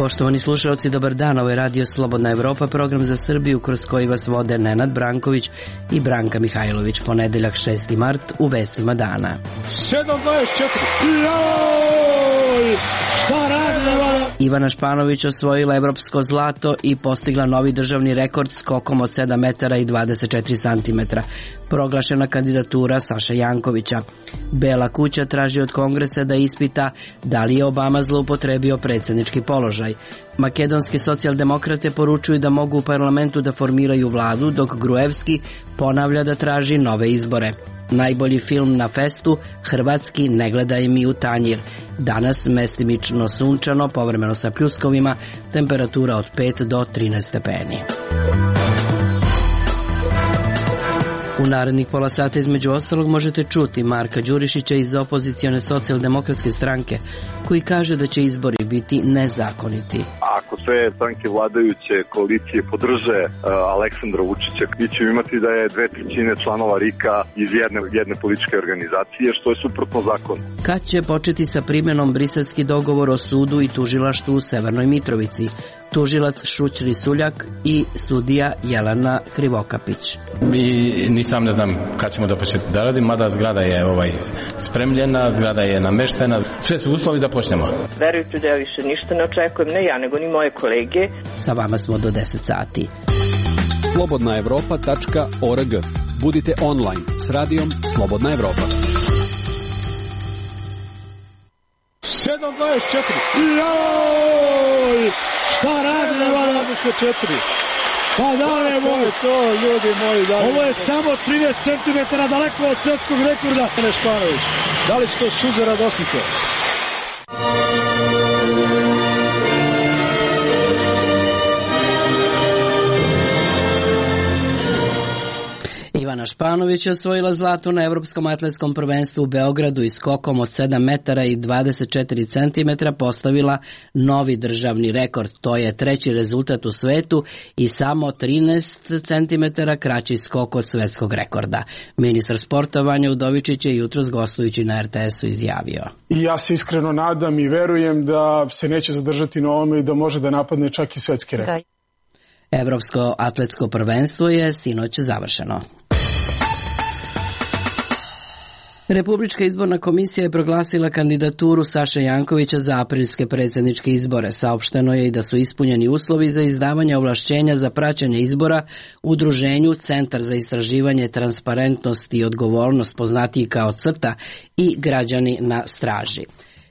Poštovani slušalci, dobar dan, ovo je Radio Slobodna Evropa, program za Srbiju kroz koji vas vode Nenad Branković i Branka Mihajlović. Ponedeljak 6. mart u vestima dana. 7:24. Šta radi? Ivana Španović osvojila evropsko zlato i postigla novi državni rekord skokom od 7 metara i 24 centimetra. Proglašena kandidatura Saše Jankovića. Bela kuća traži od Kongresa da ispita da li je Obama zloupotrebio predsjednički položaj. Makedonske socijaldemokrate poručuju da mogu u parlamentu da formiraju vladu, dok Gruevski ponavlja da traži nove izbore. Najbolji film na festu, hrvatski Ne gledaj mi u tanjir. Danas mestimično sunčano, povremeno sa pljuskovima, temperatura od 5 do 13 stepeni. U narednih pola sata između ostalog možete čuti Marka Đurišića iz opozicione socijaldemokratske stranke, koji kaže da će izbori biti nezakoniti. Ako sve stranke vladajuće koalicije podrže Aleksandra Vučića, mi ćemo imati da je 2/3 članova RIK-a iz jedne političke organizacije, što je suprotno zakonu. Kad će početi sa primjenom briselski dogovor o sudu i tužilaštvu u Severnoj Mitrovici? Tužilac Šućri Suljak i sudija Jelena Krivokapić. Ni sam ne znam kad ćemo da početi da radim, mada zgrada je spremljena, zgrada je nameštena, sve su uslovi da počnemo. Verujte da ja više ništa ne očekujem, ne ja, nego ni moje kolege. Sa vama smo do 10 sati. slobodnaevropa.org. Budite online s radijom Slobodna Evropa. 7:24. Joj! Šta radi na 24? Pa dale moj, to ljudi moji, dale. Ovo je samo 30 cm daleko od svjetskog rekorda. Španović, da li su to suze radosnice? Ivana Španović je osvojila zlato na Evropskom atletskom prvenstvu u Beogradu i skokom od 7 metara i 24 centimetra postavila novi državni rekord. To je treći rezultat u svetu i samo 13 centimetara kraći skok od svetskog rekorda. Ministar sporta Vanja Udovičić je jutros gostujući na RTS-u izjavio. I ja se iskreno nadam i verujem da se neće zadržati na ovome i da može da napadne čak i svetski rekord. Evropsko atletsko prvenstvo je sinoć završeno. Republička izborna komisija je proglasila kandidaturu Saše Jankovića za aprilske predsjedničke izbore. Saopšteno je i da su ispunjeni uslovi za izdavanje ovlašćenja za praćenje izbora udruženju Centar za istraživanje, transparentnost i odgovornost, poznatiji kao CRTA, i Građani na straži.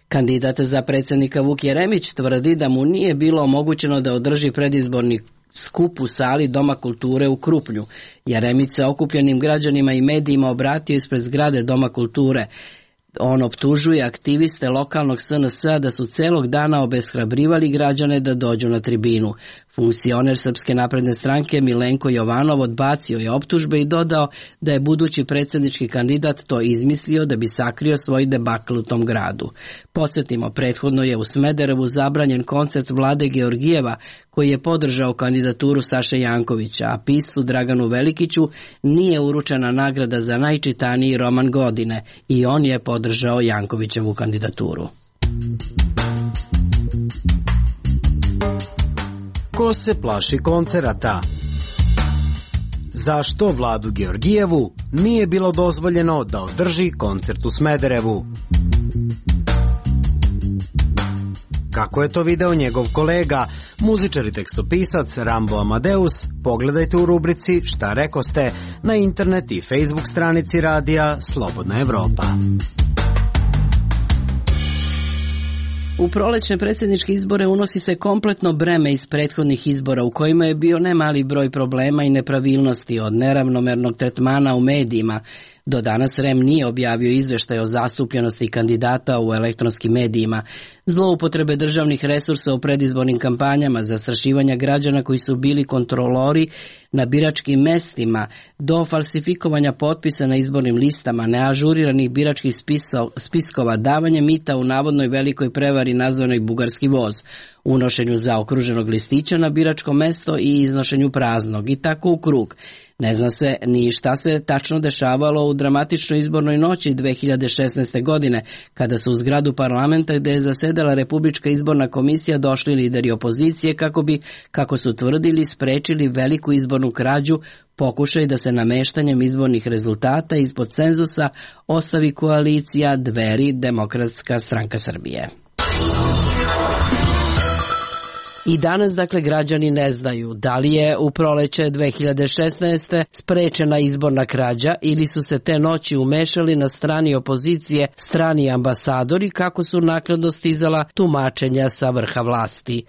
Kandidat za predsjednika Vuk Jeremić tvrdi da mu nije bilo omogućeno da održi predizborni skup u sali Doma kulture u Krupnju. Jeremić se okupljenim građanima i medijima obratio ispred zgrade Doma kulture. On optužuje aktiviste lokalnog SNS-a da su celog dana obeshrabrivali građane da dođu na tribinu. Funkcioner Srpske napredne stranke Milenko Jovanov odbacio je optužbe i dodao da je budući predsjednički kandidat to izmislio da bi sakrio svoj debakl u tom gradu. Podsjetimo, prethodno je u Smederevu zabranjen koncert Vlade Georgijeva koji je podržao kandidaturu Saše Jankovića, a piscu Draganu Velikiću nije uručena nagrada za najčitaniji roman godine i on je podržao Jankovićevu kandidaturu. Ko se plaši koncerata? Zašto Vladu Georgijevu nije bilo dozvoljeno da održi koncert u Smederevu? Kako je to video njegov kolega, muzičar i tekstopisac Rambo Amadeus, pogledajte u rubrici Šta rekoste na internet i Facebook stranici radija Slobodna Evropa. U prolećne predsjedničke izbore unosi se kompletno breme iz prethodnih izbora u kojima je bio nemali broj problema i nepravilnosti, od neravnomernog tretmana u medijima. Do danas REM nije objavio izveštaj o zastupljenosti kandidata u elektronskim medijima, zloupotrebe državnih resursa u predizbornim kampanjama, zastrašivanja građana koji su bili kontrolori na biračkim mestima, do falsifikovanja potpisa na izbornim listama, neažuriranih biračkih spiskova, davanje mita u navodnoj velikoj prevari nazvanoj Bugarski voz, unošenju zaokruženog listića na biračko mesto i iznošenju praznog, i tako u krug. Ne zna se ni šta se tačno dešavalo u dramatičnoj izbornoj noći 2016. godine, kada su u zgradu parlamenta gde je zasedala Republička izborna komisija došli lideri opozicije kako bi, kako su tvrdili, sprečili veliku izbornu krađu, pokušaj da se nameštanjem izbornih rezultata ispod cenzusa ostavi koalicija Dveri Demokratska stranka Srbije. I danas, dakle, građani ne znaju da li je u proleće 2016. sprečena izborna krađa ili su se te noći umešali na strani opozicije strani ambasadori, kako su naknadno stizala tumačenja sa vrha vlasti.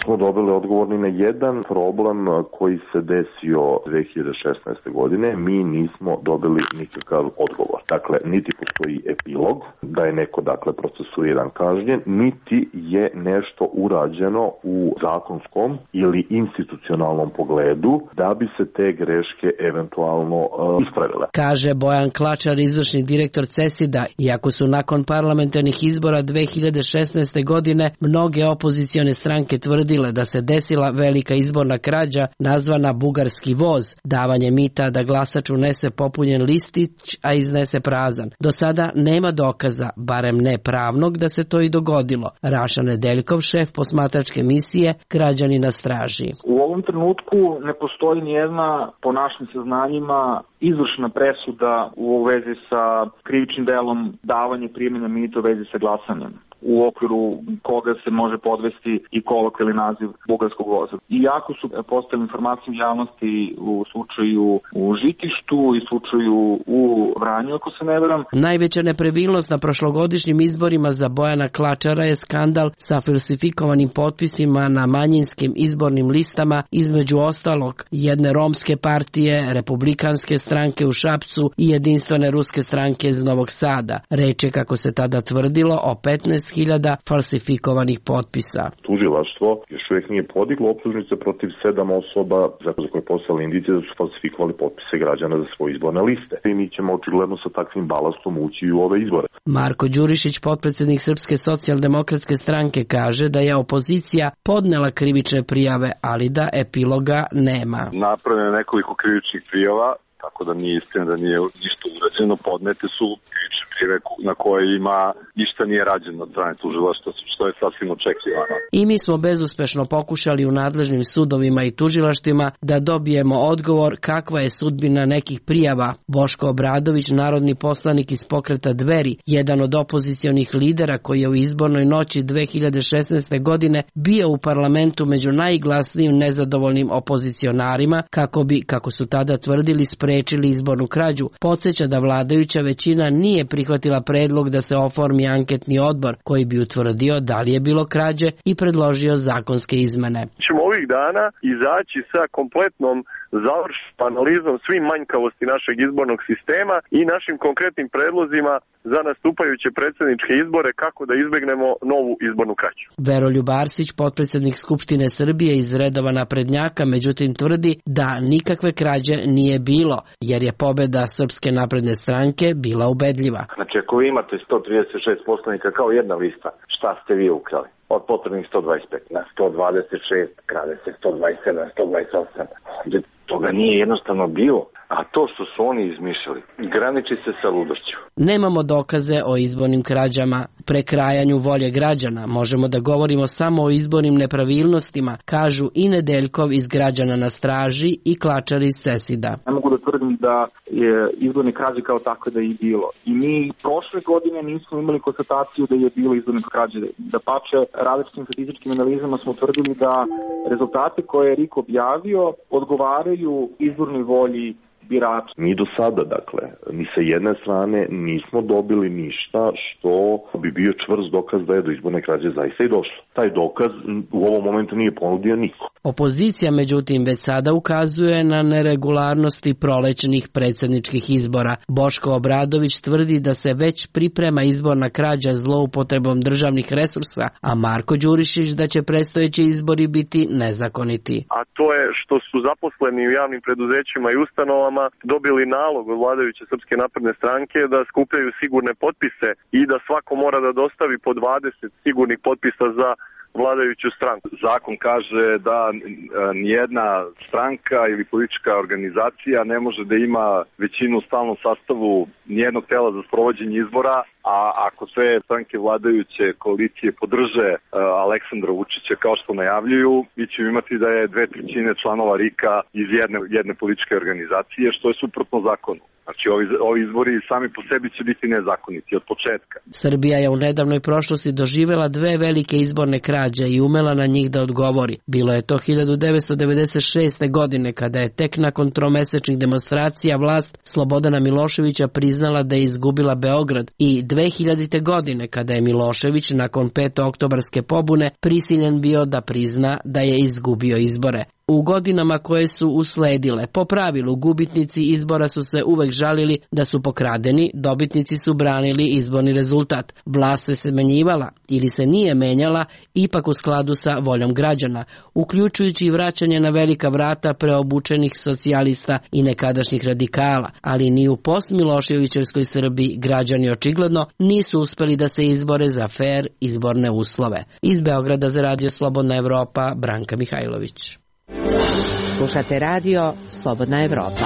Smo dobili odgovor ni na jedan problem koji se desio 2016. godine. Mi nismo dobili nikakav odgovor. Dakle, niti postoji epilog da je neko, dakle, procesuiran, kažnjen, niti je nešto urađeno u zakonskom ili institucionalnom pogledu da bi se te greške eventualno ispravile. Kaže Bojan Klačar, izvršni direktor CESID-a, iako su nakon parlamentarnih izbora 2016. godine mnoge opozicione stranke tvrdile da se desila velika izborna krađa nazvana bugarski voz, davanje mita da glasač unese popunjen listić, a iznese prazan. Do sada nema dokaza, barem ne pravnog, da se to i dogodilo. Raša Nedeljkov, šef posmatračke misije Građani na straži. U ovom trenutku ne postoji nijedna, po našim saznanjima, izvršna presuda u vezi sa krivičnim delom davanje primanja mita u vezi sa glasanjem, u okviru koga se može podvesti i kolokvijalni naziv bugarskog voza. Iako su postavili informacije u javnosti u slučaju u Žitištu i slučaju u Vranju, ako se ne veram. Najveća nepravilnost na prošlogodišnjim izborima za Bojana Klačara je skandal sa falsifikovanim potpisima na manjinskim izbornim listama, između ostalog jedne romske partije, republikanske stranke u Šapcu i jedinstvene ruske stranke iz Novog Sada. Reč je, kako se tada tvrdilo, o 15.000 falsifikovanih potpisa. Tužilaštvo još uvijek nije podiglo optužnice protiv 7 osoba za koje poslali indicije da su falsifikovali potpise građana za svoje izborne liste. I mi ćemo očigledno sa takvim balastom ući u ove izbore. Marko Đurišić, potpredsednik Srpske socijaldemokratske stranke, kaže da je opozicija podnela krivične prijave, ali da epiloga nema. Napravljeno nekoliko krivičnih prijava, tako da nije istina da nije ništa urađeno. Podnete su krivične prijave na kojima ništa nije rađeno od strane tužilaštva, što je sasvim očekivano. I mi smo bezuspešno pokušali u nadležnim sudovima i tužilaštvima da dobijemo odgovor kakva je sudbina nekih prijava. Boško Obradović, narodni poslanik iz pokreta Dveri, jedan od opozicionih lidera koji je u izbornoj noći 2016. godine bio u parlamentu među najglasnijim nezadovoljnim opozicionarima, kako bi, kako su tada tvrdili, sprečili izbornu krađu, podsjeća da vladajuća većina nije prihvatila predlog da se oformi anketni odbor koji bi utvrdio da li je bilo krađe i predložio zakonske izmene. Ćemo ovih dana izaći sa kompletnom završnom analizom svih manjkavosti našeg izbornog sistema i našim konkretnim predlozima za nastupajuće predsjedničke izbore kako da izbegnemo novu izbornu krađu. Veroljub Arsić, potpredsjednik Skupštine Srbije iz redova naprednjaka, međutim tvrdi da nikakve krađe nije bilo, jer je pobeda Srpske napredne stranke bila ubedljiva. Znači, ako vi imate 136 poslanika kao jedna lista, šta ste vi ukrali? Od potrebnih 125 na 126, krade se 127, 128. Toga nije jednostavno bilo. A to što su oni izmišljali, graniči se sa ludošću. Nemamo dokaze o izbornim krađama, prekrajanju volje građana. Možemo da govorimo samo o izbornim nepravilnostima, kažu i Nedeljkov iz Građana na straži i Klačar iz CESID-a. Ne mogu da tvrdim da je izborne krađe kao takve da je i bilo. I mi prošle godine nismo imali konstataciju da je bilo izborne krađe. Da pače, različitim statističkim analizama smo tvrdili da rezultate koje je RIK objavio odgovaraju izbornoj volji birača. Mi do sada, dakle, ni sa jedne strane nismo dobili ništa što bi bio čvrst dokaz da je do izborne krađe zaista i došlo. Taj dokaz u ovom momentu nije ponudio niko. Opozicija, međutim, već sada ukazuje na neregularnosti prolećnih predsjedničkih izbora. Boško Obradović tvrdi da se već priprema izborna krađa zloupotrebom državnih resursa, a Marko Đurišić da će predstojeći izbori biti nezakoniti. A to je što su zaposleni u javnim preduzećima i ustanovama dobili nalog od vladajuće Srpske napredne stranke da skupljaju sigurne potpise i da svako mora da dostavi po 20 sigurnih potpisa za vladajuću stranku. Zakon kaže da nijedna stranka ili politička organizacija ne može da ima većinu u stalnom sastavu nijednog tela za sprovođenje izbora, a ako sve stranke vladajuće koalicije podrže Aleksandra Vučića kao što najavljuju, mi ćemo imati da je 2/3 članova RIK-a iz jedne političke organizacije, što je suprotno zakonu. Znači, ovi izbori sami po sebi će biti nezakoniti od početka. Srbija je u nedavnoj prošlosti doživela 2 velike izborne krađe i umela na njih da odgovori. Bilo je to 1996. godine, kada je tek nakon tromesečnih demonstracija vlast Slobodana Miloševića priznala da je izgubila Beograd, i 2000. godine, kada je Milošević nakon 5. oktobarske pobune prisiljen bio da prizna da je izgubio izbore. U godinama koje su usledile, po pravilu, gubitnici izbora su se uvek žalili da su pokradeni, dobitnici su branili izborni rezultat. Vlast se smenjivala ili se nije menjala, ipak u skladu sa voljom građana, uključujući i vraćanje na velika vrata preobučenih socijalista i nekadašnjih radikala, ali ni u post-Miloševićevskoj Srbiji građani očigledno nisu uspeli da se izbore za fer izborne uslove. Iz Beograda za Radio Slobodna Evropa, Branka Mihajlović. Slušate radio Slobodna Evropa.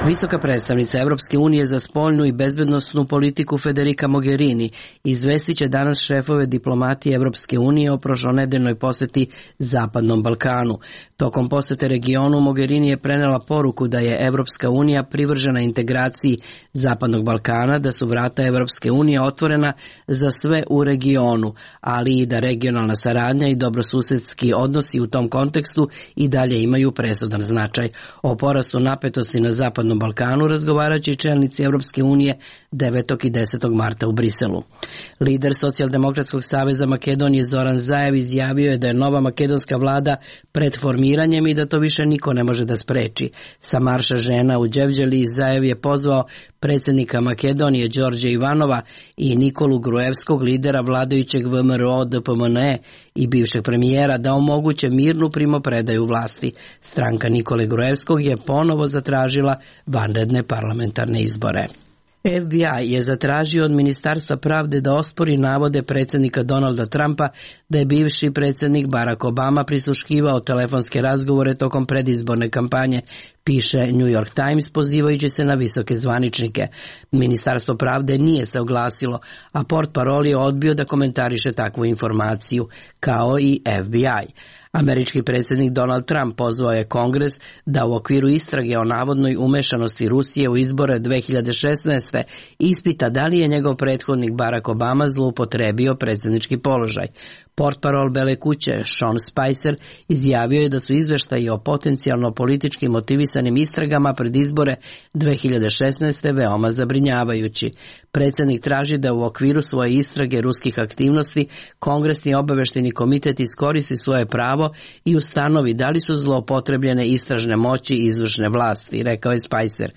Visoka predstavnica Evropske unije za spoljnu i bezbednosnu politiku Federica Mogherini izvestit će danas šefove diplomatije Evropske unije o prošlonedeljnoj poseti Zapadnom Balkanu. Tokom posete regionu Mogherini je prenela poruku da je Evropska unija privržena integraciji Zapadnog Balkana, da su vrata Evropske unije otvorena za sve u regionu, ali i da regionalna saradnja i dobrosusedski odnosi u tom kontekstu i dalje imaju presudan značaj. O porastu napetosti na Zapadnom Balkanu razgovarat će i čelnici Evropske unije 9. i 10. marta u Briselu. Lider Socijaldemokratskog saveza Makedonije Zoran Zaev izjavio je da je nova makedonska vlada pred formiranjem i da to više niko ne može da spreči. Sa marša žena u Đevđeli Zaev je pozvao predsjednika Makedonije Đorđa Ivanova i Nikolu Gruevskog, lidera vladajućeg VMRO DPMNE i bivšeg premijera, da omoguće mirnu primopredaju vlasti. Stranka Nikole Gruevskog je ponovo zatražila vanredne parlamentarne izbore. FBI je zatražio od Ministarstva pravde da ospori navode predsjednika Donalda Trumpa da je bivši predsjednik Barack Obama prisluškivao telefonske razgovore tokom predizborne kampanje, piše New York Times pozivajući se na visoke zvaničnike. Ministarstvo pravde nije se oglasilo, a portparol je odbio da komentariše takvu informaciju, kao i FBI. Američki predsjednik Donald Trump pozvao je Kongres da u okviru istrage o navodnoj umešanosti Rusije u izbore 2016. ispita da li je njegov prethodnik Barack Obama zloupotrebio predsjednički položaj. Portparol Bele kuće Sean Spicer izjavio je da su izveštaji o potencijalno politički motivisanim istragama pred izbore 2016. veoma zabrinjavajući. Predsjednik traži da u okviru svoje istrage ruskih aktivnosti Kongresni obaveštajni komitet iskoristi svoje pravo i ustanovi da li su zloupotrebljene istražne moći izvršne vlasti, rekao je Spicer.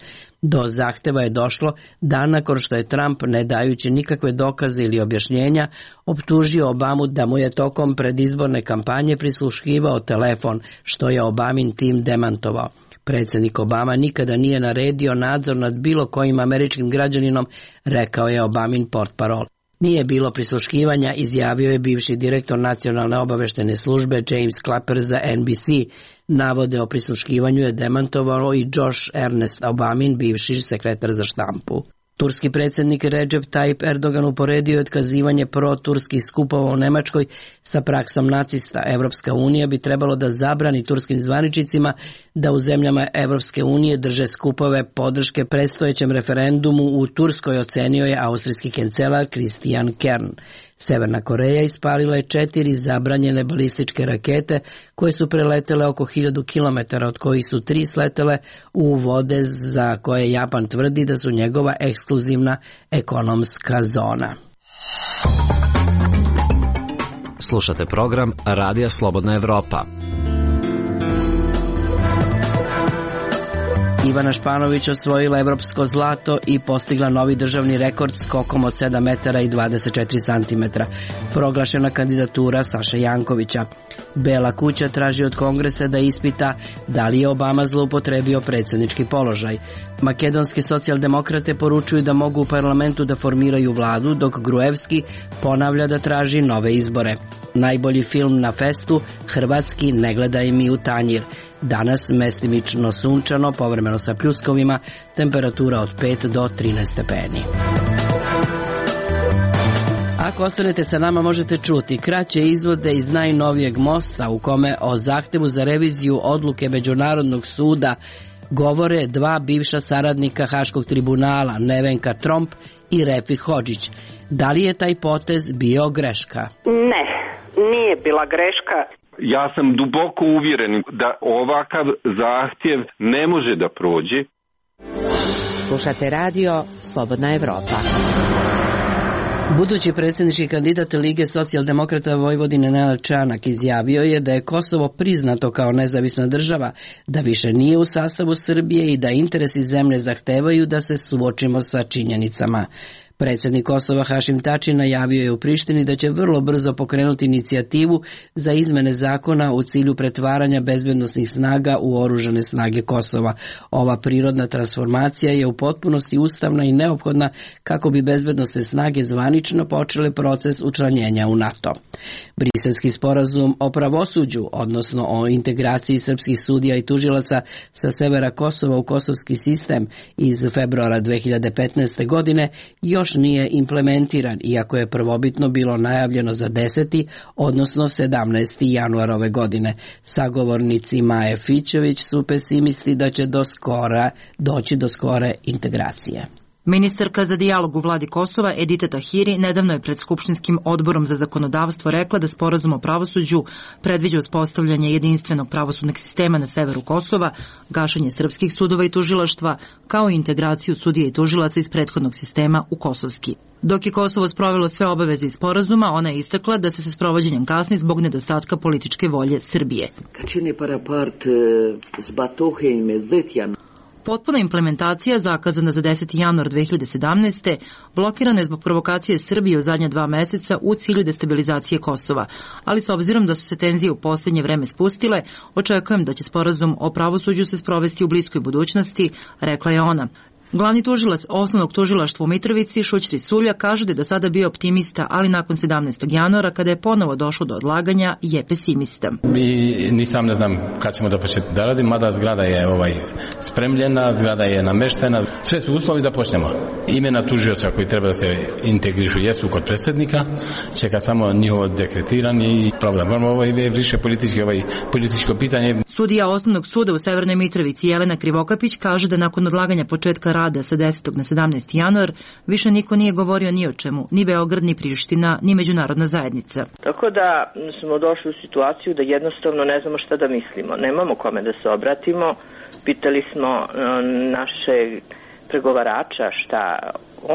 Do zahteva je došlo dan nakon što je Trump, ne dajući nikakve dokaze ili objašnjenja, optužio Obamu da mu je tokom predizborne kampanje prisluškivao telefon, što je Obamin tim demantovao. Predsjednik Obama nikada nije naredio nadzor nad bilo kojim američkim građaninom, rekao je Obamin portparol. Nije bilo prisluškivanja, izjavio je bivši direktor nacionalne obaveštajne službe James Clapper za NBC. Navode o prisluškivanju je demantovao i Josh Ernest Obamin, bivši sekretar za štampu. Turski predsjednik Recep Tayyip Erdogan uporedio je otkazivanje pro-turskih skupova u Nemačkoj sa praksom nacista. Evropska unija bi trebalo da zabrani turskim zvaničnicima da u zemljama Evropske unije drže skupove podrške predstojećem referendumu u Turskoj, ocenio je austrijski kancelar Christian Kern. Severna Koreja ispalila je 4 zabranjene balističke rakete koje su preletele oko 1000 km, od kojih su 3 sletele u vode za koje Japan tvrdi da su njegova ekskluzivna ekonomska zona. Slušate program Radija Slobodna Evropa. Ivana Španović osvojila evropsko zlato i postigla novi državni rekord skokom od 7 metara i 24 centimetra. Proglašena kandidatura Saše Jankovića. Bela kuća traži od Kongresa da ispita da li je Obama zloupotrebio predsjednički položaj. Makedonski socijaldemokrate poručuju da mogu u parlamentu da formiraju vladu, dok Gruevski ponavlja da traži nove izbore. Najbolji film na festu, hrvatski Ne gledaj mi u tanjir. Danas mestimično sunčano, povremeno sa pljuskovima, temperatura od 5 do 13 stepeni. Ako ostanete sa nama možete čuti kraće izvode iz najnovijeg mosta u kome o zahtevu za reviziju odluke Međunarodnog suda govore dva bivša saradnika Haškog tribunala, Nevenka Tromp i Refi Hodžić. Da li je taj potez bio greška? Ne, nije bila greška. Ja sam duboko uvjeren da ovakav zahtjev ne može da prođe. Slušate radio Slobodna Evropa. Budući predsjednički kandidat Lige socijaldemokrata Vojvodine Nenad Čanak izjavio je da je Kosovo priznato kao nezavisna država, da više nije u sastavu Srbije i da interesi zemlje zahtevaju da se suočimo sa činjenicama. Predsjednik Kosova Hašim Tači najavio je u Prištini da će vrlo brzo pokrenuti inicijativu za izmene zakona u cilju pretvaranja bezbednosnih snaga u oružane snage Kosova. Ova prirodna transformacija je u potpunosti ustavna i neophodna kako bi bezbednosne snage zvanično počele proces učlanjenja u NATO. Briselski sporazum o pravosuđu, odnosno o integraciji srpskih sudija i tužilaca sa severa Kosova u kosovski sistem iz februara 2015. godine, još nije implementiran, iako je prvobitno bilo najavljeno za 10. odnosno 17. januar ove godine. Sagovornici Maje Fićević su pesimisti da će doći do skore integracije. Ministarka za dijalog u vladi Kosova Edita Tahiri nedavno je pred Skupštinskim odborom za zakonodavstvo rekla da sporazum o pravosuđu predviđa uspostavljanje jedinstvenog pravosudnog sistema na severu Kosova, gašenje srpskih sudova i tužilaštva, kao i integraciju sudija i tužilaca iz prethodnog sistema u kosovski. Dok je Kosovo sprovelo sve obaveze iz sporazuma, ona je istakla da se sa sprovođenjem kasni zbog nedostatka političke volje Srbije. Potpuna implementacija, zakazana za 10. januar 2017. blokirana je zbog provokacije Srbije u zadnja 2 meseca u cilju destabilizacije Kosova. Ali s obzirom da su se tenzije u posljednje vreme spustile, očekujem da će sporazum o pravosuđu se sprovesti u bliskoj budućnosti, rekla je ona. Glavni tužilac osnovnog tužilaštva u Mitrovici, Šućri Sulja, kaže da je do sada bio optimista, ali nakon 17. januara, kada je ponovo došlo do odlaganja, je pesimista. Ni sam ne znam kad ćemo da početi da radim, mada zgrada je spremljena, zgrada je nameštena. Sve su uslovi da počnemo. Imena tužioca koji treba da se integrišu jesu kod predsjednika, čeka samo njihovo dekretiranje i pravda. Ovo je više političko pitanje. Sudija osnovnog suda u Severnoj Mitrovici Jelena Krivokapić kaže da nakon odlaganja početka rada sa 10. na 17. januar više niko nije govorio ni o čemu, ni Beograd, ni Priština, ni međunarodna zajednica. Tako da smo došli u situaciju da jednostavno ne znamo šta da mislimo. Nemamo kome da se obratimo. Pitali smo našeg pregovarača šta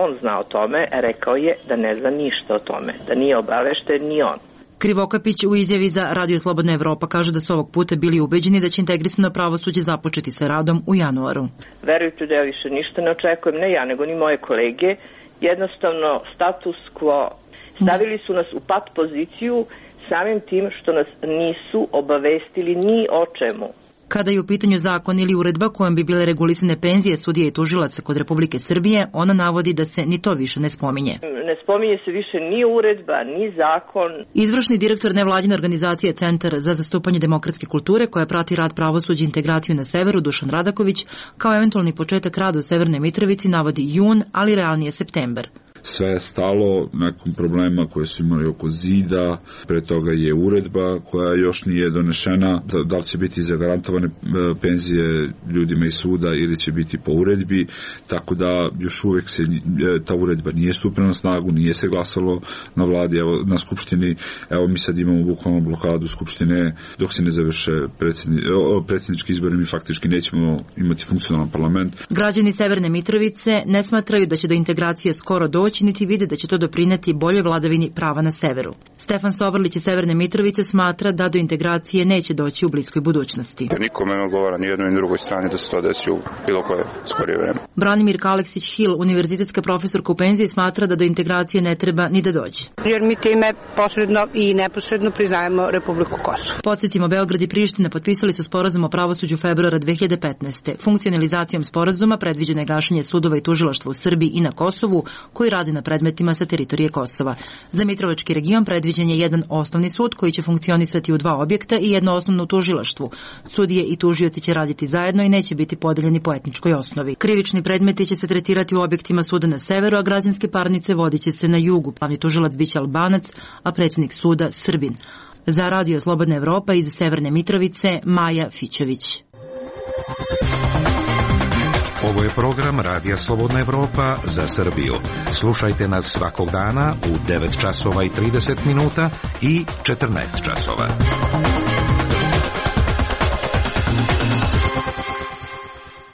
on zna o tome, rekao je da ne zna ništa o tome, da nije obavešten ni on. Krivokapić u izjavi za Radio Slobodna Evropa kaže da su ovog puta bili ubeđeni da će integrisano pravosuđe započeti sa radom u januaru. Verujte da ja više ništa ne očekujem, ne ja, nego ni moje kolege. Jednostavno, status quo. Stavili su nas u pat poziciju samim tim što nas nisu obavestili ni o čemu. Kada je u pitanju zakon ili uredba kojom bi bile regulisane penzije sudija i tužilaca kod Republike Srbije, ona navodi da se ni to više ne spominje. Ne spominje se više ni uredba, ni zakon. Izvršni direktor nevladine organizacije Centar za zastupanje demokratske kulture, koja prati rad pravosuđa i integraciju na severu, Dušan Radaković, kao eventualni početak rada u Severnoj Mitrovici navodi jun, ali realnije septembar. Sve je stalo nekom problema koje su imali oko zida, pre toga je uredba koja još nije donešena, da li će biti zagarantovane penzije ljudima iz suda ili će biti po uredbi, tako da još uvek ta uredba nije stupila na snagu, nije se glasalo na vladi, na Skupštini, evo mi sad imamo bukvalno blokadu Skupštine, dok se ne završe predsjednički izbori, mi faktički nećemo imati funkcionalan parlament. Građani Severne Mitrovice ne smatraju da će do integracije skoro doći, pomoći, niti vide da će to doprineti boljoj vladavini prava na severu. Stefan Sovrlić iz Severne Mitrovice smatra da do integracije neće doći u bliskoj budućnosti. Nikome ne odgovara ni jednoj ni drugoj strani da se to desi u bilo koje skorije vreme. Branimir Kaleksić-Hill, univerzitetska profesorka u penziji, smatra da do integracije ne treba ni da dođe. Jer mi time posredno i neposredno priznajemo Republiku Kosovo. Podsjetimo, Beograd i Priština potpisali su sporazum o pravosuđu februara 2015. Funkcionalizacijom sporazuma predviđeno je gašenje sudova i tužilaštva u Srbiji i na Kosovu, koji rade na predmetima sa teritorije Kosova. Za Mitrovački region predviđen je jedan osnovni sud koji će funkcionisati u 2 objekta i jedno osnovno tužilaštvo. Sudije i tužioci će raditi zajedno i neće biti podeljeni po etničkoj osnovi. Krivični predmeti će se tretirati u objektima suda na severu, a građanske parnice vodiće se na jugu. Glavni tužilac biće Albanac, a predsjednik suda Srbin. Za Radio Slobodna Evropa iz Severne Mitrovice, Maja Fićević. Ovo je program Radija Slobodna Evropa za Srbiju. Slušajte nas svakog dana u 9 časova i 30 minuta i 14 časova.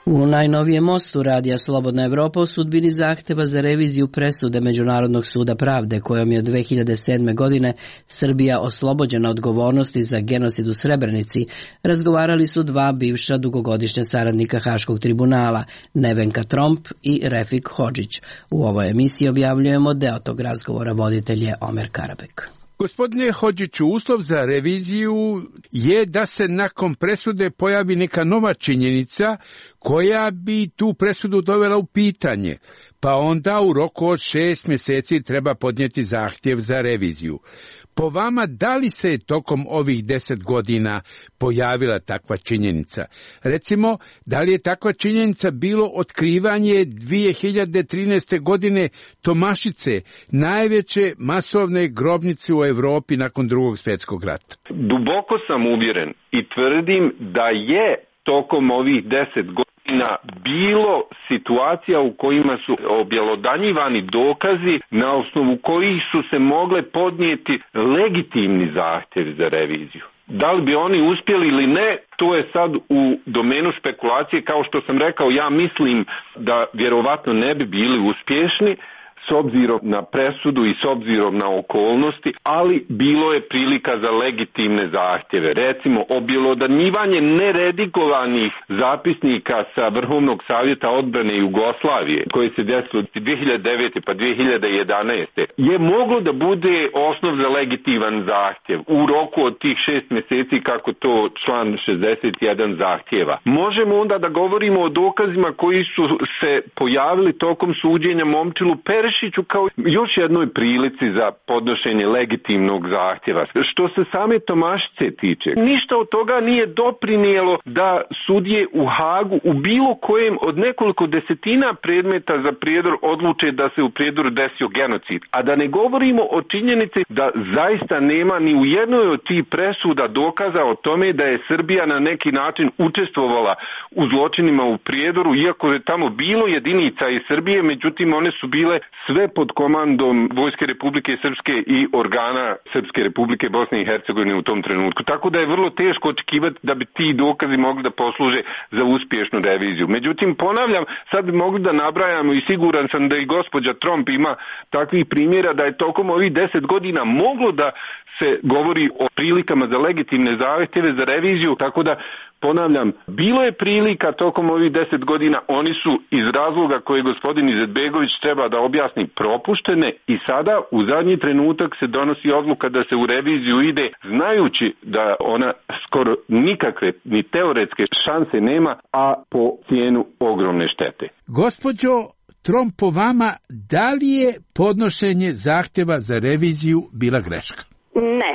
U najnovijem mostu Radija Slobodna Evropa o sudbini zahteva za reviziju presude Međunarodnog suda pravde kojom je od 2007. godine Srbija oslobođena odgovornosti za genocid u Srebrenici, razgovarali su 2 bivša dugogodišnja saradnika Haškog tribunala, Nevenka Tromp i Refik Hodžić. U ovoj emisiji objavljujemo deo tog razgovora, voditelj je Omer Karabek. Gospodine Hodžiću, uslov za reviziju je da se nakon presude pojavi neka nova činjenica koja bi tu presudu dovela u pitanje, pa onda u roku od 6 mjeseci treba podnijeti zahtjev za reviziju. Po vama, da li se tokom ovih 10 godina pojavila takva činjenica? Recimo, da li je takva činjenica bilo otkrivanje 2013. godine Tomašice, najveće masovne grobnice u Europi nakon Drugog svjetskog rata? Duboko sam uvjeren i tvrdim da je tokom ovih 10 godina bilo situacija u kojima su objelodanjivani dokazi na osnovu kojih su se mogle podnijeti legitimni zahtjevi za reviziju. Da li bi oni uspjeli ili ne, to je sad u domenu špekulacije. Kao što sam rekao, ja mislim da vjerovatno ne bi bili uspješni s obzirom na presudu i s obzirom na okolnosti, ali bilo je prilika za legitimne zahtjeve. Recimo, objelodanjivanje neredigovanih zapisnika sa Vrhovnog savjeta odbrane Jugoslavije, koje se desilo 2009. pa 2011. je moglo da bude osnov za legitiman zahtjev u roku od tih 6 mjeseci, kako to član 61 zahtjeva. Možemo onda da govorimo o dokazima koji su se pojavili tokom suđenja Momčilu Perišiću kao još jednoj prilici za podnošenje legitimnog zahtjeva. Što se same Tomašice tiče, ništa od toga nije doprinijelo da sudije u Hagu u bilo kojem od nekoliko desetina predmeta za Prijedor odluče da se u Prijedoru desio genocid. A da ne govorimo o činjenici da zaista nema ni u jednoj od tih presuda dokaza o tome da je Srbija na neki način učestvovala u zločinima u Prijedoru, iako je tamo bilo jedinica iz Srbije, međutim one su bile sve pod komandom Vojske Republike Srpske i organa Srpske Republike Bosne i Hercegovine u tom trenutku. Tako da je vrlo teško očekivati da bi ti dokazi mogli da posluže za uspješnu reviziju. Međutim, ponavljam, sad bi mogli da nabrajamo i siguran sam da i gospođa Tromp ima takvih primjera da je tokom ovih 10 godina moglo da se govori o prilikama za legitimne zahtjeve za reviziju, tako da ponavljam, bilo je prilika tokom ovih 10 godina, oni su iz razloga koje gospodin Izetbegović treba da objasni propuštene i sada u zadnji trenutak se donosi odluka da se u reviziju ide znajući da ona skoro nikakve ni teoretske šanse nema, a po cijenu ogromne štete. Gospođo Tromp, po vama, da li je podnošenje zahtjeva za reviziju bila greška? Ne,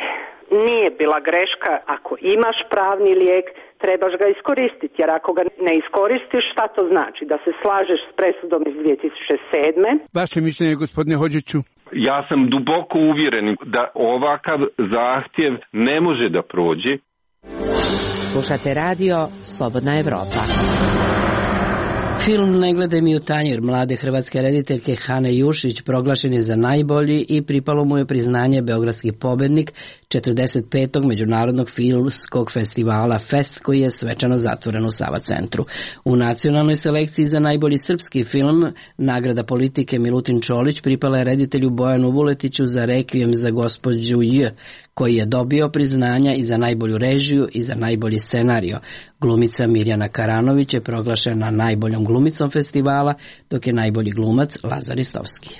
nije bila greška. Ako imaš pravni lijek, trebaš ga iskoristiti, jer ako ga ne iskoristiš, šta to znači? Da se slažeš s presudom iz 2007. Vaše mišljenje, gospodine Hodžiću? Ja sam duboko uvjeren da ovakav zahtjev ne može da prođe. Slušate radio Slobodna Evropa. Film Ne gledaj mi u tanjir mlade hrvatske rediteljke Hane Jušić proglašen je za najbolji i pripalo mu je priznanje Beogradski pobednik 45. Međunarodnog filmskog festivala Fest koji je svečano zatvoren u Sava centru. U nacionalnoj selekciji za najbolji srpski film nagrada politike Milutin Čolić pripala je reditelju Bojanu Vuletiću za Rekvijem za gospođu J, koji je dobio priznanja i za najbolju režiju i za najbolji scenario. Glumica Mirjana Karanović je proglašena najboljom glumicom festivala, dok je najbolji glumac Lazar Istovski.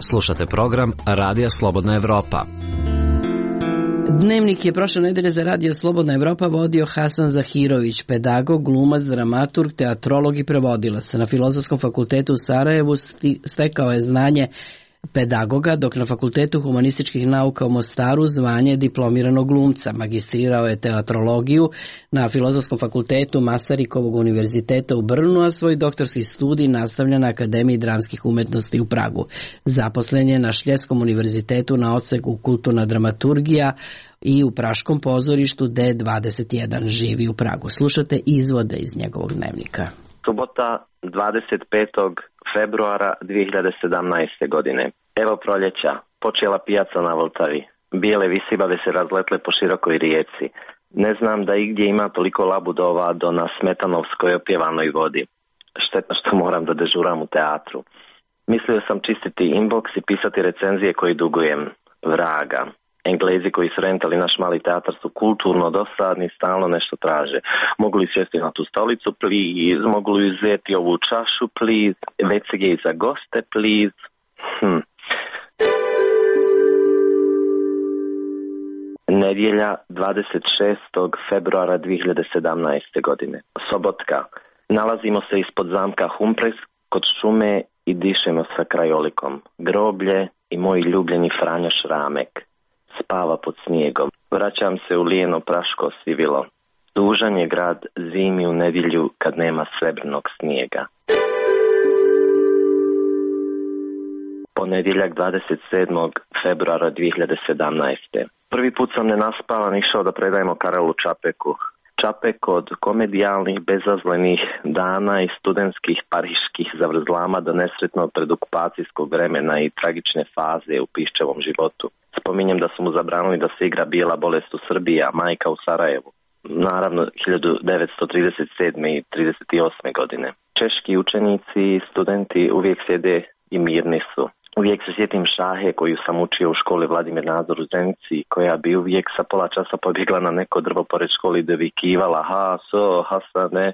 Slušate program Radija Slobodna Evropa. Dnevnik je prošle nedelje za Radio Slobodna Evropa vodio Hasan Zahirović, pedagog, glumac, dramaturg, teatrolog i prevodilac. Na Filozofskom fakultetu u Sarajevu stekao je znanje pedagoga, dok na Fakultetu humanističkih nauka u Mostaru zvanje diplomiranog glumca. Magistrirao je teatrologiju na Filozofskom fakultetu Masarikovog univerziteta u Brnu, a svoj doktorski studij nastavlja na Akademiji dramskih umetnosti u Pragu. Zaposlen je na Šljeskom univerzitetu na odseku kulturna dramaturgija i u Praškom pozorištu D21. Živi u Pragu. Slušate izvode iz njegovog dnevnika. Subota 25. februara 2017. godine. Evo proljeća, počela pijaca na Vltavi. Bijele visibave se razletle po širokoj rijeci. Ne znam da igdje ima toliko labudova do na smetanovskoj opjevanoj vodi. Šteta što moram da dežuram u teatru. Mislio sam čistiti inbox i pisati recenzije koji dugujem. Vraga. Englezi koji su rentali naš mali teatar su kulturno dosadni, stalno nešto traže. Mogu li sjesti na tu stolicu, please? Mogu li uzeti ovu čašu, please? WCG za goste, please? Nedjelja 26. februara 2017. godine. Sobotka. Nalazimo se ispod zamka Humpres kod šume i dišemo sa krajolikom. Groblje i moj ljubljeni Franjo Šramek spava pod snijegom. Vraćam se u lijeno praško sivilo. Tužan je grad zimi u nedjelju kad nema srebrnog snijega. Ponedjeljak 27. februara 2017. Prvi put sam nenaspavan išao da predajemo Karelu Čapeku. Čapek od komedijalnih, bezazlenih dana i studentskih pariških zavrzlama do nesretnog predokupacijskog vremena i tragične faze u Piščevom životu. Spominjem da su mu zabranili da se igra Bijela bolest u Srbiji, a majka u Sarajevu. Naravno 1937. i 1938. godine. Češki učenici i studenti uvijek sjede i mirni su. Uvijek se sjetim Šahe koju sam učio u školi Vladimir Nazor u Zenici, koja bi uvijek sa pola časa pobjegla na neko drvo pored školi i dovikivala Hasane,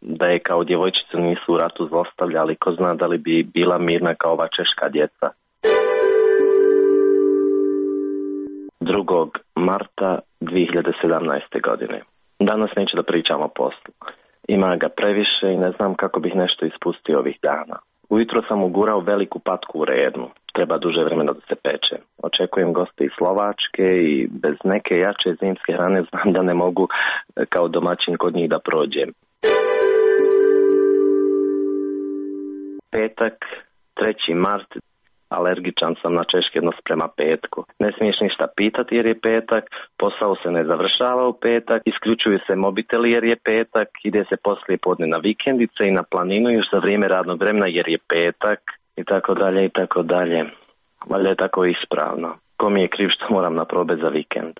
da je kao djevojčicu nisu u ratu zlostavljali, ko zna da li bi bila mirna kao ova češka djeca. 2. marta 2017. godine. Danas neću da pričam o poslu. Ima ga previše i ne znam kako bih nešto ispustio ovih dana. Ujutro sam ugurao veliku patku u rednu. Treba duže vremena da se peče. Očekujem goste iz Slovačke i bez neke jače zimske hrane znam da ne mogu kao domaćin kod njih da prođem. Petak, 3. mart. Alergičan sam na češkednost prema petku. Ne smiješ ništa pitati jer je petak, posao se ne završava u petak, isključuju se mobiteli jer je petak, ide se poslije podne na vikendice i na planinu još za vrijeme radnog vremena jer je petak i tako dalje i tako dalje. Valjda je tako ispravno. Ko mi je kriv što moram na probe za vikend?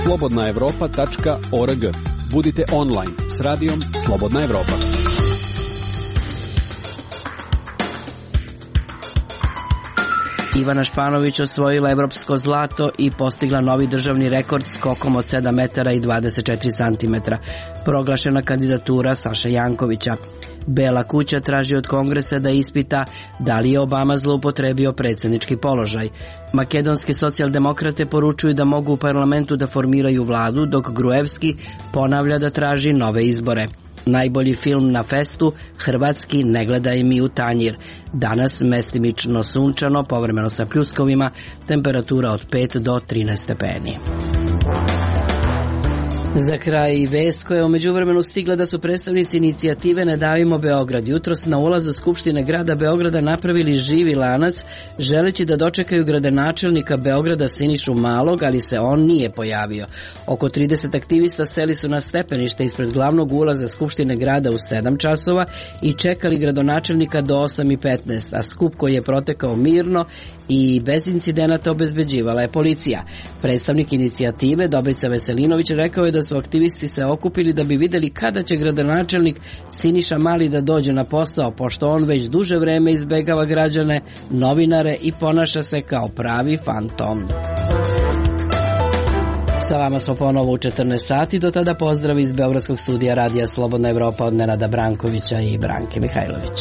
slobodnaevropa.org. Budite online s radijom Slobodna Evropa. Ivana Španović osvojila evropsko zlato i postigla novi državni rekord skokom od 7 metara i 24 centimetra. Proglašena kandidatura Saše Jankovića. Bela kuća traži od Kongresa da ispita da li je Obama zloupotrebio predsjednički položaj. Makedonske socijaldemokrate poručuju da mogu u parlamentu da formiraju vladu, dok Gruevski ponavlja da traži nove izbore. Najbolji film na festu, hrvatski Ne gledaj mi u tanjir. Danas mestimično sunčano, povremeno sa pljuskovima, temperatura od 5 do 13 stepeni. Za kraj i vest koja je u međuvremenu stigla da su predstavnici inicijative Ne davimo Beograd jutros na ulazu Skupštine grada Beograda napravili živi lanac, želeći da dočekaju gradonačelnika Beograda Sinišu Malog, ali se on nije pojavio. Oko 30 aktivista seli su na stepenište ispred glavnog ulaza Skupštine grada u 7 časova i čekali gradonačelnika do 8:15, a skup koji je protekao mirno i bez incidenata obezbeđivala je policija. Predstavnik inicijative Dobrica Veselinović rekao je da su aktivisti se okupili da bi videli kada će gradonačelnik Siniša Mali da dođe na posao, pošto on već duže vreme izbegava građane, novinare i ponaša se kao pravi fantom. Sa vama smo ponovo u 14 sati, do tada pozdrav iz Beogradskog studija Radija Slobodna Evropa od Nenada Brankovića i Branke Mihajlović.